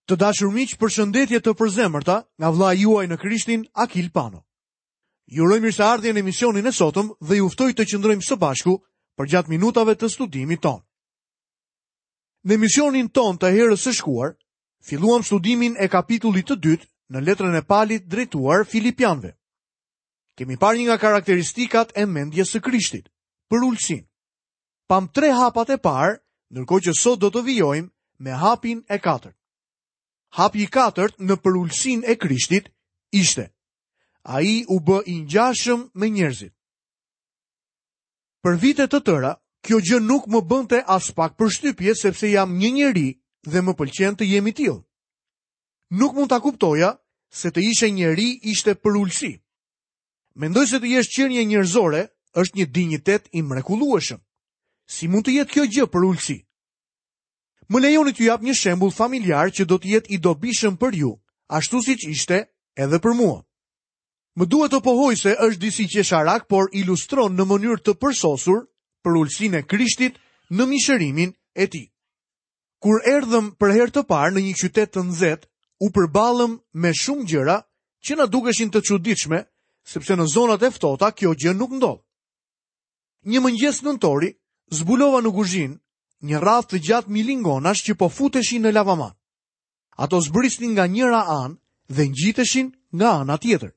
Të dashur miq, përshëndetje të përzemërta nga vëllai juaj në Krishtin, Akil Pano. Ju uroj mirëseardhje në emisionin e sotëm dhe ju ftoj të qëndrojmë së bashku përgjatë minutave të studimit tonë. Në emisionin tonë të herës së shkuar, filluam studimin e kapitullit të dytë në letrën e Palit drejtuar Filipianëve. Kemi parë një nga karakteristikat e mendjes së Krishtit, përulësinë. Pamë tre hapat e parë, ndërkohë që sot do të vijojmë me hapin e katërt. Hapi i katërt në përulësinë e Krishtit ishte: Ai u bë i ngjashëm me njerëzit. Për vite të tëra, kjo gjë nuk më bënte aspak përshtypje sepse jam një njeri dhe më pëlqen të jem i tillë. Nuk mund ta kuptoja se të ishe njeri ishte përulësi. Mendoj se të jesh qenie njerëzore është një dinjitet i mrekullueshëm. Si mund të jetë kjo gjë përulësi? Më lejoni t'ju jap një shembull familjar që do të jetë i dobishëm për ju, ashtu siç ishte edhe për mua. Më duhet të pohoj se është disi qesharak, por ilustron në mënyrë të përsosur përulësinë e Krishtit në mishërimin e tij. Kur erdhëm për herë të parë në një qytet të nxehtë, u përballëm me shumë gjëra që na dukeshin të çuditshme, sepse në zonat e ftohta kjo gjë nuk ndodh. Një mëngjes nëntori, zbulova në kuzhinë një radhë të gjatë milingonash që po futeshin në lavaman. Ato zbrisnin nga njëra anë dhe ngjiteshin nga ana tjetër.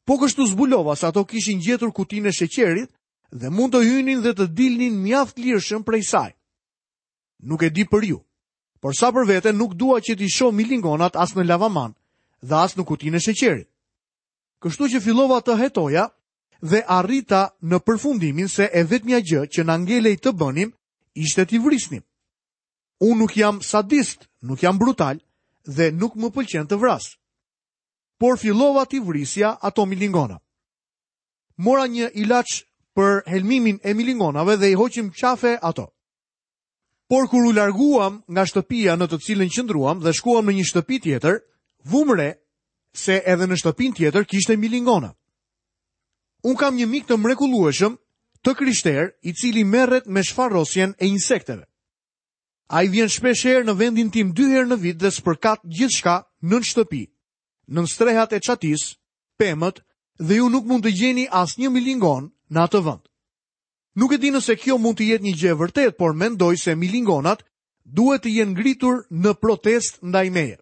Po kështu zbulova se ato kishin gjetur kutinë e sheqerit dhe mund të hynin dhe të dilnin mjaft lirshëm prej saj. Nuk e di për ju, por sa për vete nuk dua që t'i shoh milingonat as në lavaman dhe as në kutinë e sheqerit. Kështu që fillova të hetoja dhe arrita në përfundimin se e vetmja gjë që na ngelej të bënim ishte t'i vrisnim. Unë nuk jam sadist, nuk jam brutal dhe nuk më pëlqen të vras. Por fillova t'i vrisja ato milingona. Mora një ilaç për helmimin e milingonave dhe i hoqëm qafe ato. Por kur u larguam nga shtëpia në të cilën qëndruam dhe shkuam në një shtëpi tjetër, vumë re se edhe në shtëpinë tjetër kishte milingona. Unë kam një mik të mrekullueshëm të krishterë i cili merret me shfarosjen e insekteve. Ai vjen shpeshherë në vendin tim dy herë në vit dhe spërkat gjithçka nën shtëpi, nën strehat e çatisë, pemët dhe ju nuk mund të gjeni asnjë milingonë në atë vend. Nuk e di nëse kjo mund të jetë një gjë e vërtetë, por mendoj se milingonat duhet të jenë ngritur në protestë ndaj meje.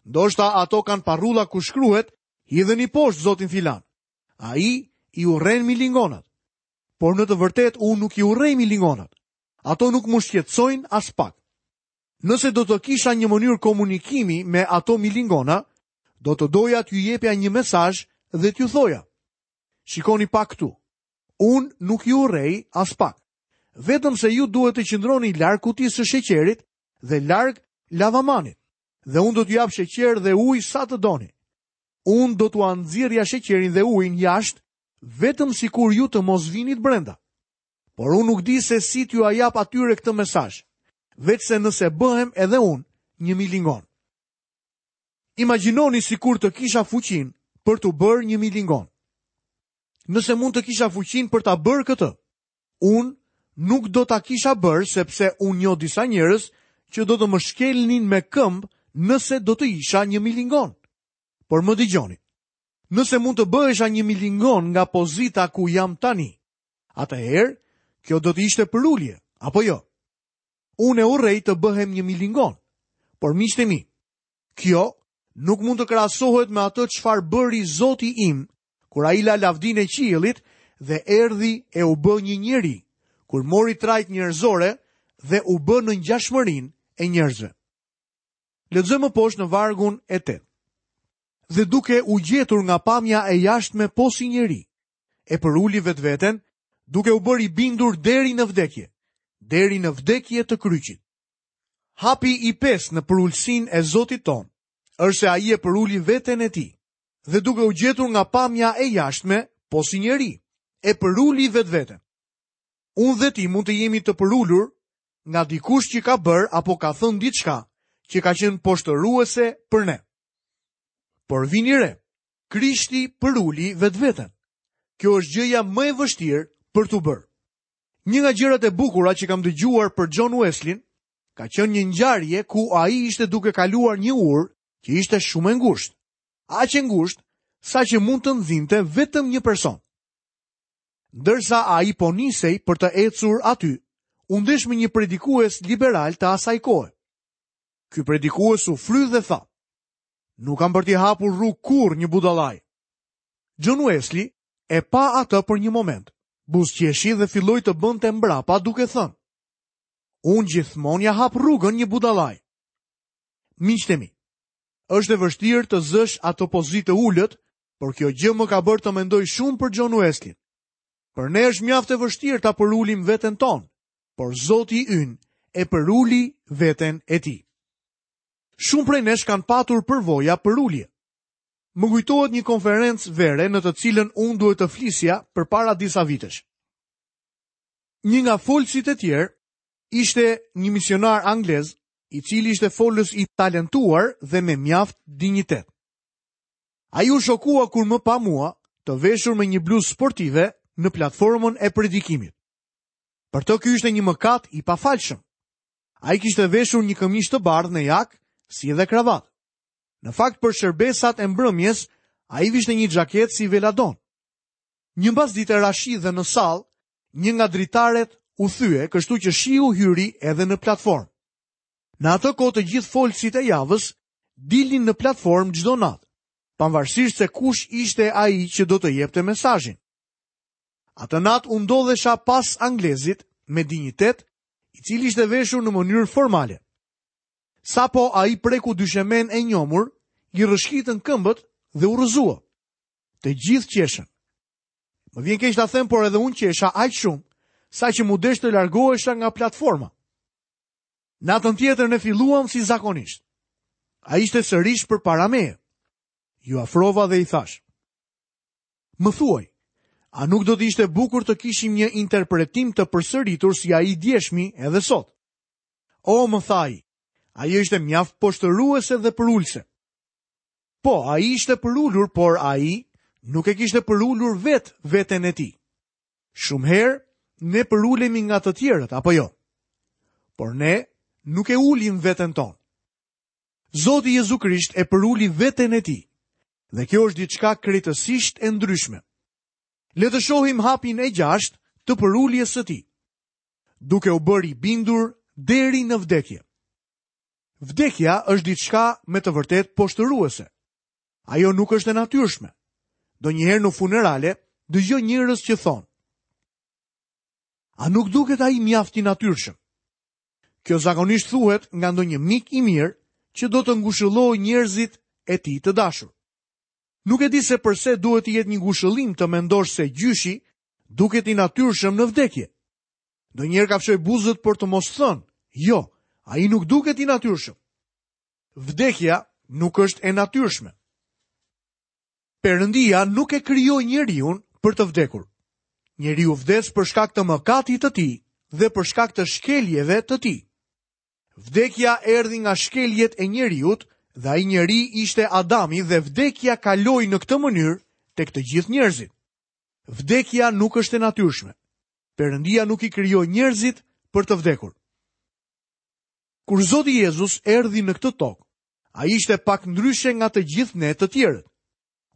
Ndoshta ato kanë parrulla ku shkruhet, hidheni poshtë zotin filan. Ai i urren milingonat. Por në të vërtetë unë nuk i urrej milingonat. Ato nuk më shqetësojnë aspak. Nëse do të kisha një mënyrë komunikimi me ato milingona, do të doja t'ju jepja një mesazh dhe t'ju thoja. Shikoni pak këtu. Unë nuk ju urrej aspak. Vetëm se ju duhet të qëndroni larg kutisë së sheqerit dhe larg lavamanit. Dhe unë do t'ju jap sheqer dhe ujë sa të doni. Unë do t'ua nxirrja sheqerin dhe ujin jashtë, vetëm sikur ju të mos vinit brenda. Por unë nuk di se si t'jua jap atyre këtë mesazh, veçse nëse bëhem edhe unë një milingonë. Imagjinoni sikur të kisha fuqinë për t'u bërë një milingonë. Nëse mund të kisha fuqinë për ta bërë këtë, unë nuk do ta kisha bërë sepse unë njoh disa njerëz që do të më shkelnin me këmbë nëse do të isha një milingonë. Por më dëgjoni. Nëse mund të bëhesha një milingonë nga pozita ku jam tani, atëherë kjo do të ishte përulje, apo jo? Unë e urrej të bëhem një milingonë. Por miqtë e mi, kjo nuk mund të krahasohet me atë çfarë bëri Zoti im kur ai la lavdinë e qiellit dhe erdhi e u bë një njeri, kur mori trajtë njerëzore dhe u bë në ngjashmërinë e njerëzve. Lexojmë më poshtë në vargun e 8. Dhe duke u gjetur nga pamja e jashtme po si njeri, e përuli vetveten, duke u bërë i bindur deri në vdekje, deri në vdekje të kryqit. Hapi i pestë në përulësinë e Zotit tonë është se ai e përuli veten e tij dhe duke u gjetur nga pamja e jashtme, po si njeri, e përuli vetveten. Unë dhe ti mund të jemi të përulur nga dikush që ka bërë apo ka thënë diçka që ka qenë poshtëruese për ne. Por vini re, Krishti përuli vetveten. Kjo është gjëja më e vështirë për t'u bërë. Një nga gjërat e bukura që kam dëgjuar për John Wesleyn. ka qenë një ngjarje ku ai ishte duke kaluar një urë që ishte shumë e ngushtë. Aq e ngushtë saqë mund të nxinte vetëm një person. Ndërsa ai po nisej për të ecur aty, u ndesh me një predikues liberal të asaj kohe. Ky predikues u fry dhe tha: "Nuk kam për t'i hapur rrugë kurrë një budallai." John Wesley e pa atë për një moment, buzëqeshi dhe filloi të bënte mbrapa duke thënë: Unë gjithmonë ia hap rrugën një budallai. Miqtë e mi, është e vështirë të zësh atë pozitë të ulët, por kjo gjë më ka bërë të mendoj shumë për John Wesley. Për ne është mjaft e vështirë ta përulim veten tonë, por Zoti ynë e përuli veten e tij. Shumë prej nesh kanë patur përvoja përulje. Më kujtohet një konferencë vere në të cilën unë duhet të flisja përpara disa vitesh. Një nga folësit e tjerë ishte një misionar anglez, i cili ishte folës i talentuar dhe me mjaft dinjitet. Ai u shokua kur më pa mua të veshur me një bluzë sportive në platformën e predikimit. Për të ky ishte një mëkat i pafalshëm. Ai kishte veshur një këmishë të bardhë në jakë, si edhe kravatë. Në fakt për shërbesat e mbrëmjes, ai vishte një xhaketë si veladon. Një mbasdite ra shi dhe në sallë, një nga dritaret u thye, kështu që shiu hyri edhe në platformë. Në atë kohë të gjithë folësit e javës dilnin në platformë çdo natë, pavarësisht se kush ishte ai që do të jepte mesazhin. Atë natë unë ndodhesha pas anglezit me dinjitet, i cili ishte veshur në mënyrë formale. Sapo ai preku dyshemenë e njomur, i rrëshqitën këmbët dhe u rrëzua. Të gjithë qeshën. Më vjen keq ta them, por edhe unë qesha aq shumë, saqë m'u desh të largohesha nga platforma. Natën tjetër ne filluam si zakonisht. Ai ishte sërish përpara meje. Iu afrova dhe i thashë. Më thuaj, a nuk do të ishte bukur të kishim një interpretim të përsëritur si ai i djeshmi edhe sot? O, më tha ai, ajo ishte mjaft poshtëruese dhe përulëse. Po, ai ishte përulur, por ai nuk e kishte përulur vetë veten e tij. Shumë herë ne përulemi nga të tjerët, apo jo? Por ne nuk e ulim veten tonë. Zoti Jezu Krisht e përuli veten e tij. Dhe kjo është diçka krejtësisht e ndryshme. Le të shohim hapin e gjashtë të përuljes së tij. Duke u bërë i bindur deri në vdekje. Vdekja është diçka me të vërtetë poshtëruese. Ajo nuk është e natyrshme. Ndonjëherë në funerale dëgjoj njerëz që thonë: A nuk duket ai mjaft i natyrshëm? Kjo zakonisht thuhet nga ndonjë mik i mirë që do të ngushëllojë njerëzit e tij të dashur. Nuk e di se përse duhet të jetë një ngushëllim të mendosh se gjyshi duket i natyrshëm në vdekje. Ndonjëherë kafshoj buzët për të mos thënë, jo, ai nuk duket i natyrshëm. Vdekja nuk është e natyrshme. Perëndia nuk e krijoi njeriun për të vdekur. Njeriu vdes për shkak të mëkatit të tij dhe për shkak të shkeljeve të tij. Vdekja erdhi nga shkeljet e njeriut dhe ai njeri ishte Adami dhe vdekja kaloi në këtë mënyrë tek të gjithë njerëzit. Vdekja nuk është e natyrshme. Perëndia nuk i krijoi njerëzit për të vdekur. Kur Zoti Jezus erdhi në këtë tokë, ai ishte pak ndryshe nga të gjithë ne të tjerët.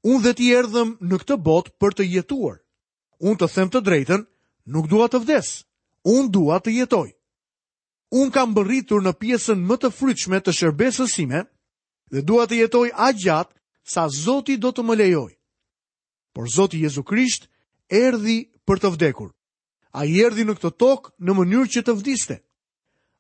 Unë dhe ti erdhëm në këtë botë për të jetuar. Unë të them të drejtën, nuk dua të vdes. Unë dua të jetoj. Unë kam mbërritur në pjesën më të frytshme të shërbesës sime dhe dua të jetoj aq gjatë sa Zoti do të më lejojë. Por Zoti Jezu Krisht erdhi për të vdekur. Ai erdhi në këtë tokë në mënyrë që të vdiste.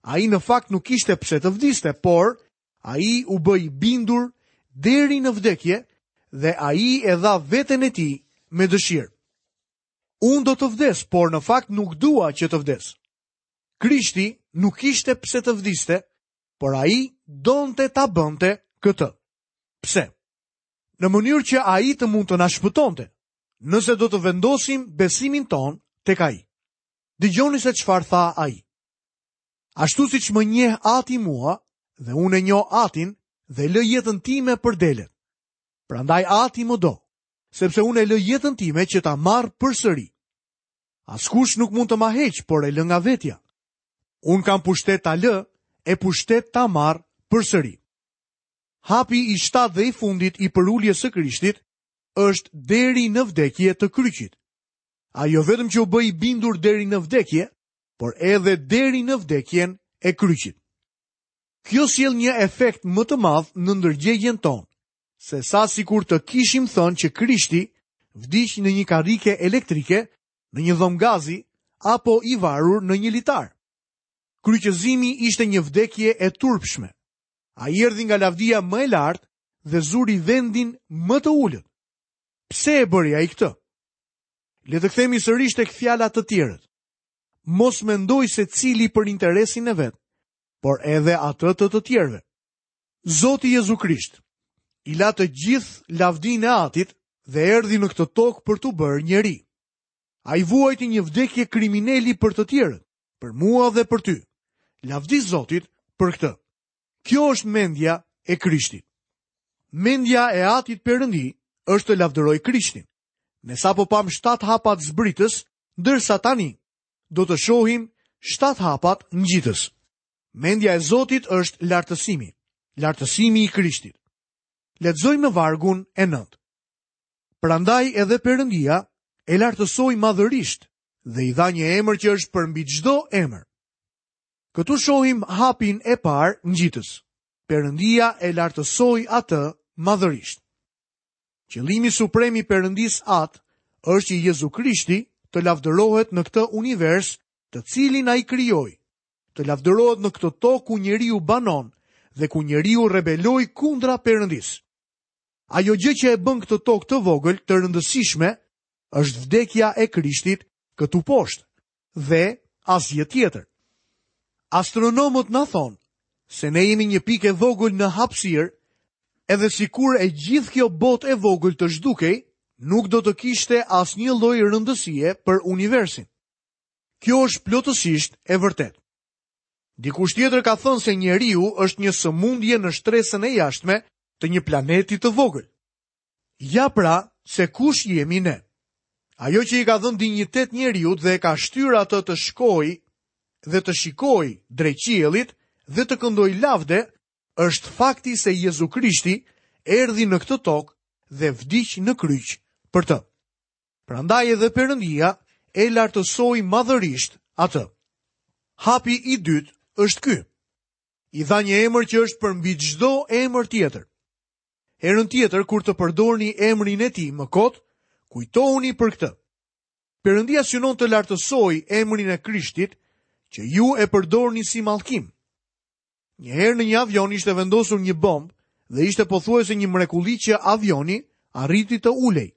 Ai në fakt nuk kishte pse të vdiste, por ai u bë i bindur deri në vdekje dhe ai e dha veten e tij me dëshirë. Unë do të vdes, por në fakt nuk dua që të vdes. Krishti nuk kishte pse të vdiste, por ai donte ta bënte këtë. Pse? Në mënyrë që ai të mund të na shpëtonte, nëse do të vendosim besimin tonë tek ai. Dëgjoni se çfarë tha ai. Ashtu siç më njeh ati mua dhe unë e njoh atin dhe lë jetën time për delet. Prandaj ati më do, sepse unë e lë jetën time që ta marr përsëri. Askush nuk mund të ma heqë, por e lë nga vetja. Unë kam pushtet ta lë, e pushtet ta marrë përsëri. Hapi i shtatë dhe i fundit i përuljes së Krishtit është deri në vdekje të kryqit. Ai jo vetëm që u bë i bindur deri në vdekje, por edhe deri në vdekjen e kryqit. Kjo sjell një efekt më të madh në ndërgjegjen tonë, sesa sikur të kishim thënë që Krishti vdiq në një karrike elektrike, në një dhomë gazi apo i varur në një litar. Kryqëzimi ishte një vdekje e turpshme. Ai erdhi nga lavdia më e lartë dhe zuri vendin më të ulët. Pse e bëri ai këtë? Le të kthehemi sërish tek fjala të tjerët. Mos mendojë secili për interesin e vet, por edhe atë të të tjerëve. Zoti Jezu Krisht i la të gjithë lavdinë e Atit dhe erdhi në këtë tokë për t'u bërë njeri. Ai vuajti një vdekje krimineli për të tjerët, për mua dhe për ty. Lavdi Zotit për këtë. Kjo është mendja e Krishtit. Mendja e Atit Perëndi është të lavdërojë Krishtin. Ne sapo pamë shtatë hapat zbritës, ndërsa tani do të shohim shtatë hapat ngjitës. Mendja e Zotit është lartësimi, lartësimi i Krishtit. Lexojmë në vargun e 9. Prandaj edhe Perëndia e lartësoi madhërisht dhe i dha një emër që është përmbi çdo emër. Këtu shohim hapin e parë ngjitës. Perëndia e lartësoi atë madhërisht. Qëllimi suprem i Perëndisë Atë është që Jezu Krishti të lavdërohet në këtë univers të cilin ai krijoi, të lavdërohet në këtë tokë ku njeriu banon dhe ku njeriu rebeloi kundra Perëndisë. Ajo gjë që e bën këtë tokë të vogël të rëndësishme është vdekja e Krishtit këtu poshtë dhe asgjë tjetër. Astronomët na thonë se ne jemi një pikë e vogël në hapësirë, edhe sikur e gjithë kjo botë e vogël të zhdukej, nuk do të kishte asnjë lloj rëndësie për universin. Kjo është plotësisht e vërtetë. Dikush tjetër ka thënë se njeriu është një sëmundje në shtresën e jashtme të një planeti të vogël. Ja pra se kush jemi ne. Ajo që i ka dhënë dinjitet njeriut dhe e ka shtyrë atë të shkojë dhe të shikojë drejt qiellit dhe të këndojë lavde, është fakti se Jezu Krishti erdhi në këtë tokë dhe vdiq në kryq për të. Prandaj edhe Perëndia e lartësoi madhërisht atë. Hapi i dytë është ky. I dha një emër që është përmbi çdo emër tjetër. Herën tjetër kur të përdorni emrin e tij më kot, kujtohuni për këtë. Perëndia synon të lartësojë emrin e Krishtit që ju e përdorni si mallkim. Një herë në një avion ishte vendosur një bombë dhe ishte pothuajse një mrekulli që avioni arriti të ulej.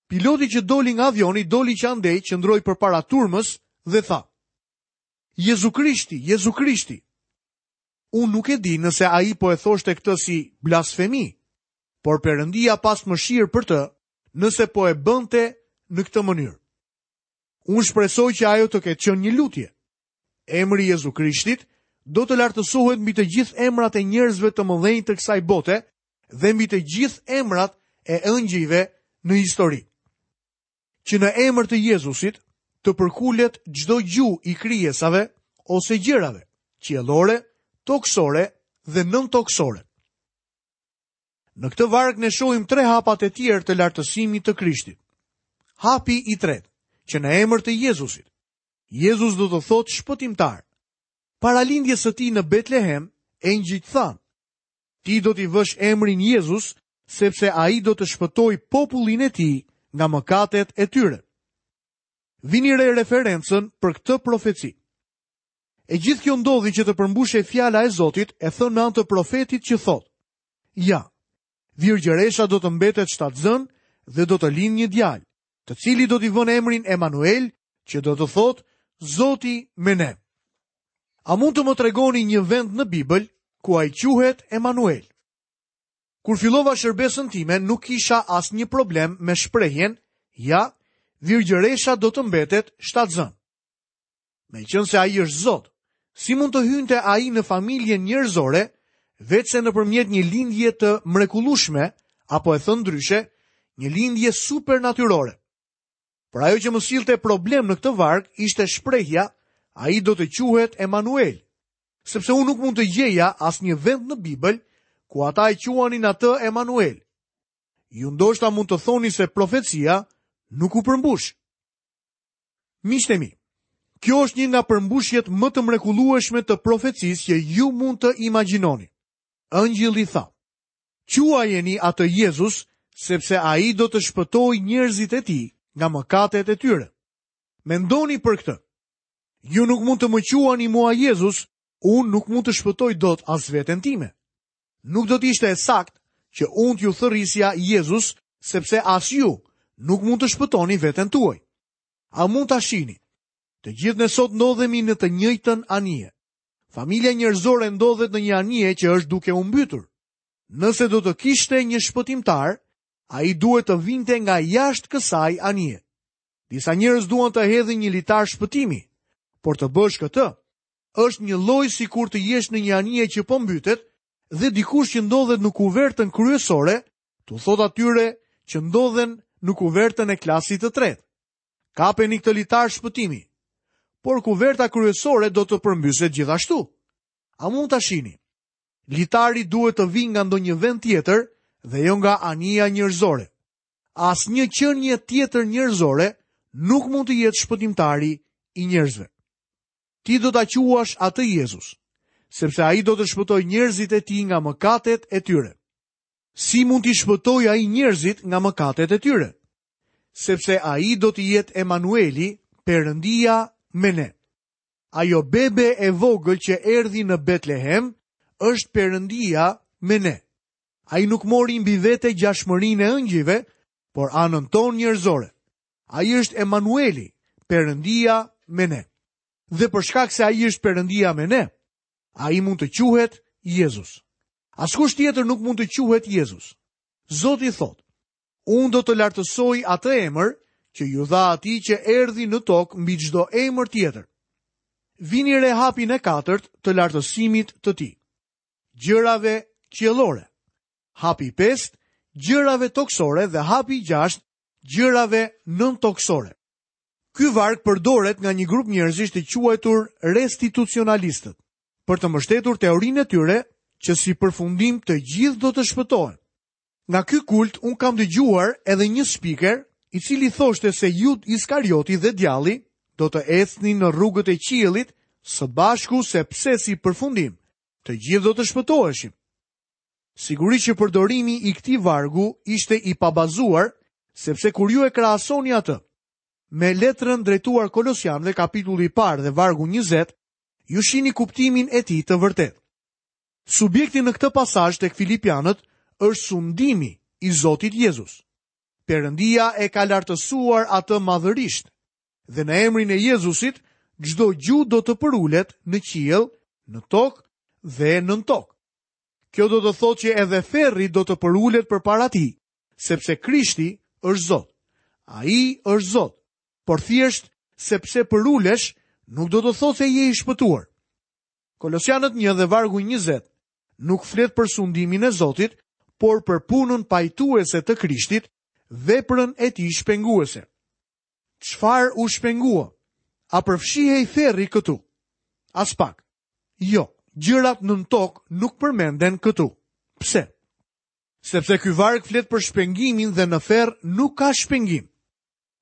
Piloti që doli nga avioni doli që andej qëndroi përpara turmës dhe tha: Jezu Krishti, Jezu Krishti. Unë nuk e di nëse ai po e thoshte këtë si blasfemi, por Perëndia pastë mëshirë për të nëse po e bënte në këtë mënyrë. Unë shpresoj që ajo të ketë qenë një lutje. Emri i Jezu Krishtit do të lartësohet mbi të gjithë emrat e njerëzve të mëdhenj të kësaj bote dhe mbi të gjithë emrat e engjëjve në histori. Që në emër të Jezusit të përkulet çdo gju i krijesave ose gjërave, qiellore, tokësore dhe nëntokësore. Në këtë varg ne shohim tre hapat e tjerë të lartësimit të Krishtit. Hapi i tretë, që në emër të Jezusit. Jezus do të thotë shpëtimtar. Para lindjes së tij në Betlehem, engjëjt thanë, Ti do t'i vësh emrin Jezus, sepse ai do të shpëtojë popullin e tij nga mëkatet e tyre. Vini re referencën për këtë profeci. E gjithë kjo ndodhi që të përmbushej fjala e Zotit e thënë me anë të profetit që thotë: Ja, virgjëresha do të mbetet shtatzënë dhe do të lindë një djalë, të cilit do t'i vënë emrin Emanuel, që do të thotë Zoti me ne. A mund të më tregoni një vend në Bibël ku ai quhet Emanuel? Kur fillova shërbesën time, nuk kisha asnjë problem me shprehjen, ja, virgjëresha do të mbetet shtatzënë. Meqenëse ai është Zot, si mund të hynte ai në familjen njerëzore, veçse nëpërmjet një lindje të mrekullueshme, apo e thënë ndryshe, një lindje supernatyrore. Por ajo që më sillte problem në këtë varg ishte shprehja, ai do të quhet Emanuel. Sepse unë nuk mund të gjeja asnjë vend në Bibël ku ata e quanin atë Emanuel. Ju ndoshta mund të thoni se profecia nuk u përmbush. Miqtë e mi, kjo është një nga përmbushjet më të mrekullueshme të profecisë që ju mund të imagjinoni. Engjëlli tha: Quajeni atë Jezus, sepse ai do të shpëtojë njerëzit e tij nga mëkatet e tyre. Mendoni për këtë. Ju nuk mund të më quani mua Jezus, unë nuk mund të shpëtoj dot as veten time. Nuk do të ishte e saktë që unë t'ju thërrisja Jezus, sepse as ju nuk mund të shpëtoni veten tuaj. A mund ta shihni? Të gjithë ne sot ndodhemi në të njëjtën anije. Familja njerëzore ndodhet në një anije që është duke u mbytur. Nëse do të kishte një shpëtimtar, ai duhet të vinte nga jashtë kësaj anije. Disa njerëz duan të hedhin një litar shpëtimi, por të bësh këtë është njëlloj sikur të jesh në një anije që po mbytet dhe dikush që ndodhet në kuvertën kryesore t'u thotë atyre që ndodhen në kuvertën e klasit të tretë. Kapeni këtë litar shpëtimi. Por kuverta kryesore do të përmbyset gjithashtu. A mund ta shihni? Litari duhet të vijë nga ndonjë vend tjetër dhe jo nga anija njerëzore. Asnjë qenie tjetër njerëzore nuk mund të jetë shpëtimtari i njerëzve. Ti do ta quash atë Jezus, sepse ai do të shpëtojë njerëzit e tij nga mëkatet e tyre. Si mund t'i shpëtojë ai njerëzit nga mëkatet e tyre? Sepse ai do të jetë Emanueli, Perëndia me ne. Ajo bebe e vogël që erdhi në Betlehem është Perëndia me ne. Ai nuk mori mbi vete ngjashmërinë e engjëjve, por anën tonë njerëzore. Ai është Emanueli, Perëndia me ne. Dhe për shkak se ai është Perëndia me ne, ai mund të quhet Jezus. Askush tjetër nuk mund të quhet Jezus. Zoti thotë, unë do të lartësoj atë emër që iu dha atij që erdhi në tokë mbi çdo emër tjetër. Vini re hapin e katërt të lartësimit të tij. Gjërave qiellore. Hapi i pestë, gjërave tokësore dhe hapi i gjashtë, gjërave nëntokësore. Ky varg përdoret nga një grup njerëzish të quajtur restitucionalistët, për të mbështetur teorinë e tyre që si përfundim të gjithë do të shpëtohen. Nga ky kult unë kam dëgjuar edhe një spiker i cili thoshte se Judë Iskarioti dhe djalli do të ecnin në rrugët e qiellit së bashku sepse si përfundim të gjithë do të shpëtoheshim. Sigurisht që përdorimi i këtij vargu ishte i pabazuar, sepse kur ju e krahasoni atë me letrën drejtuar Kolosianëve kapitulli i parë dhe vargu 20, ju shihni kuptimin e tij të vërtetë. Subjekti në këtë pasazh tek Filipianët është sundimi i Zotit Jezus. Perëndia e ka lartësuar atë madhërisht dhe në emrin e Jezusit çdo gjuhë do të përulet në qiell, në tokë dhe nën tokë. Kjo do të thotë që edhe ferri do të përulet përpara tij, sepse Krishti është Zot. Ai është Zot, por thjesht sepse përulesh nuk do të thotë se je i shpëtuar. Kolosianët 1 dhe vargu 20 nuk flet për sundimin e Zotit, por për punën pajtuese të Krishtit, veprën e tij shpenguese. Çfarë u shpengua? A përfshihej ferri këtu? Aspak. Jo, gjërat nën tokë nuk përmenden këtu. Pse? Sepse ky varg flet për shpengimin dhe në ferr nuk ka shpengim.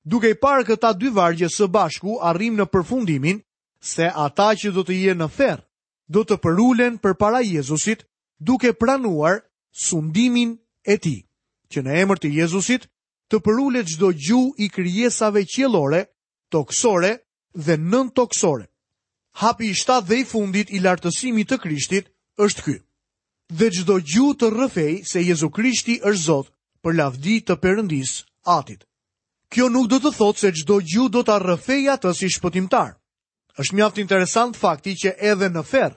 Duke i parë këta dy vargje së bashku, arrijmë në përfundimin se ata që do të jenë në ferr do të përulen përpara Jezusit duke pranuar sundimin e tij, që në emër të Jezusit të përulet çdo gjuhë i krijesave qiellore, tokësore dhe nëntokësore. Hapi i shtatë dhe i fundit i lartësimit të Krishtit është ky. Dhe çdo gjuhë të rrëfejë se Jezu Krishti është Zot për lavdi të Perëndisë Atit. Kjo nuk do të thotë se çdo gjuhë do ta rrëfejë atë si shpëtimtar. Është mjaft interesant fakti që edhe në ferr,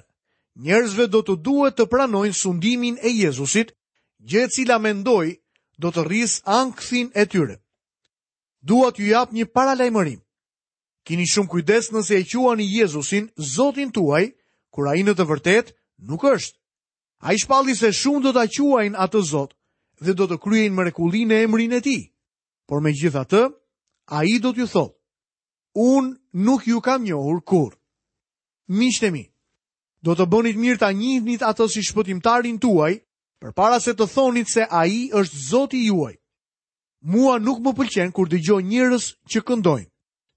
njerëzve do t'u duhet të pranojnë sundimin e Jezusit, gjë e cila mendoj do të rrisë ankthin e tyre. Dua t'ju jap një paralajmërim. Kini shumë kujdes nëse e quani Jezusin Zotin tuaj, kur ai në të vërtetë nuk është. Ai shpalli se shumë do ta quajnë atë Zot dhe do të kryejnë mrekulli në emrin e tij. Por megjithatë, ai do t'ju thotë, unë nuk ju kam njohur kurrë. Miqtë e mi, Do të bënit mirë ta njihnit atë si shpëtimtarin tuaj, përpara se të thonit se ai është Zoti juaj. Mua nuk më pëlqen kur dëgjoj njerëz që këndojnë.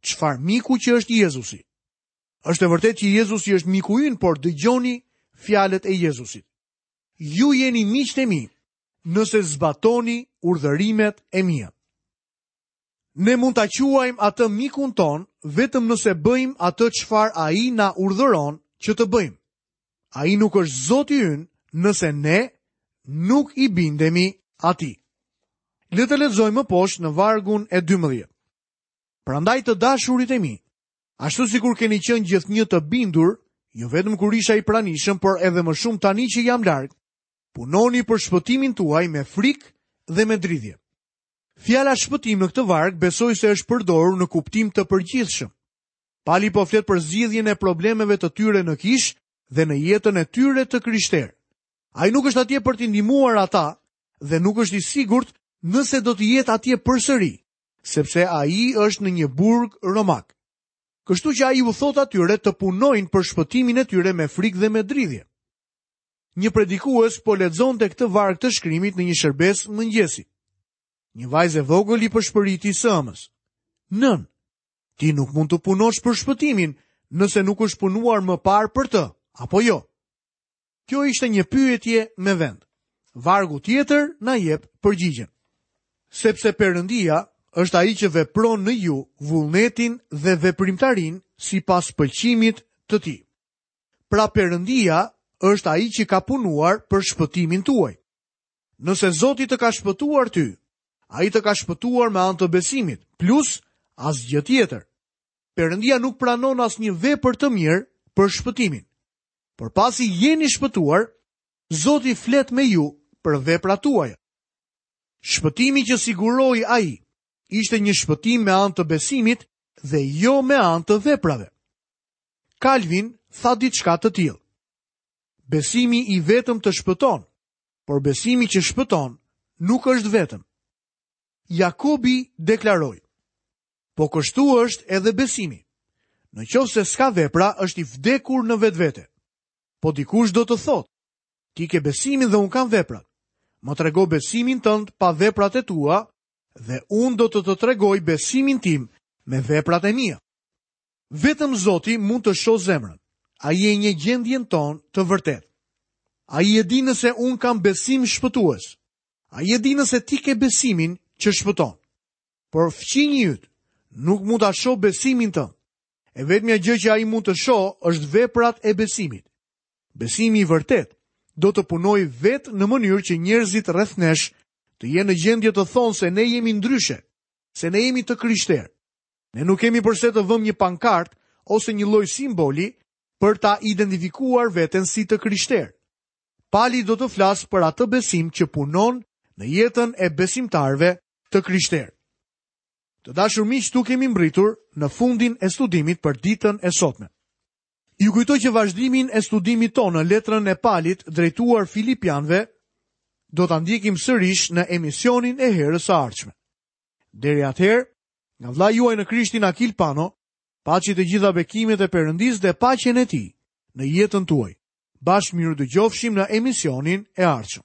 Çfarë miku që është Jezusi? Është e vërtetë që Jezusi është miku ynë, por dëgjoni fjalët e Jezusit. Ju jeni miqtë e mi, nëse zbatoni urdhërimet e mia. Ne mund ta quajmë atë mikun tonë vetëm nëse bëjmë atë çfarë ai na urdhëron që të bëjmë. Ai nuk është Zoti ynë nëse ne nuk i bindemi atij. Le të lexojmë më poshtë në vargun e 12. Prandaj të dashurit e mi, ashtu sikur keni qenë gjithnjë të bindur, jo vetëm kur isha i pranishëm, por edhe më shumë tani që jam larg, punoni për shpëtimin tuaj me frikë dhe me dridhje. Fjala shpëtim në këtë varg besoj se është përdorur në kuptim të përgjithshëm. Pali po flet për zgjidhjen e problemeve të tyre në kishë dhe në jetën e tyre të krishterë. Ai nuk është atje për t'i ndihmuar ata dhe nuk është i sigurt nëse do të jetë atje përsëri, sepse ai është në një burg romak. Kështu që ai u thotë atyre të punojnë për shpëtimin e tyre me frikë dhe me dridhje. Një predikues po lexonte këtë varg të shkrimit në një shërbesë mëngjesi. Një vajzë e vogël i pëshpëriti së ëmës. Nënë, ti nuk mund të punosh për shpëtimin nëse nuk është punuar më parë për të, apo jo? Kjo ishte një pyetje me vend. Vargu tjetër na jep përgjigjen. Sepse Perëndia është ai që vepron në ju vullnetin dhe veprimtarinë sipas pëlqimit të tij. Pra Perëndia është ai që ka punuar për shpëtimin tuaj. Nëse Zoti të ka shpëtuar ty, ai të ka shpëtuar me anë të besimit, plus asgjë tjetër. Perëndia nuk pranon asnjë vepër të mirë për shpëtimin. Por pasi jeni shpëtuar, Zoti flet me ju për veprat tuaja. Shpëtimi që siguroi ai ishte një shpëtim me anë të besimit dhe jo me anë të veprave. Kalvin tha diçka të tillë. Besimi i vetëm të shpëton, por besimi që shpëton nuk është vetëm. Jakobi deklaroi: Po kështu është edhe besimi. Në qoftë se s'ka vepra, është i vdekur në vetvete. Po dikush do të thotë, ti ke besimin dhe unë kam veprat. Më trego besimin tënd pa veprat e tua dhe unë do të të tregoj besimin tim me veprat e mia. Vetëm Zoti mund të shohë zemrën. Ai e njeh gjendjen tonë të vërtetë. Ai e di nëse unë kam besim shpëtues. Ai e di nëse ti ke besimin që shpëton. Por fqinji yt nuk mund ta shohë besimin tënd. E vetmja gjë që ai mund të shohë është veprat e besimit. Besimi i vërtetë do të punojë vetë në mënyrë që njerëzit rreth nesh të jenë në gjendje të thonë se ne jemi ndryshe, se ne jemi të krishterë. Ne nuk kemi përse të vëmë një pankartë ose një lloj simboli për ta identifikuar veten si të krishterë. Pali do të flasë për atë besim që punon në jetën e besimtarëve të krishterë. Të dashur miq, këtu kemi mbërritur në fundin e studimit për ditën e sotme. Ju kujtoj që vazhdimin e studimit tonë në letrën e Palit drejtuar Filipianëve do ta ndjekim sërish në emisionin e herës së ardhshme. Deri atëherë, nga vëllai juaj në Krishtin Akil Pano, paçi të gjitha bekimet e Perëndisë dhe paqen e tij në jetën tuaj. Bashkë mirudëgjofshim në emisionin e ardhshëm.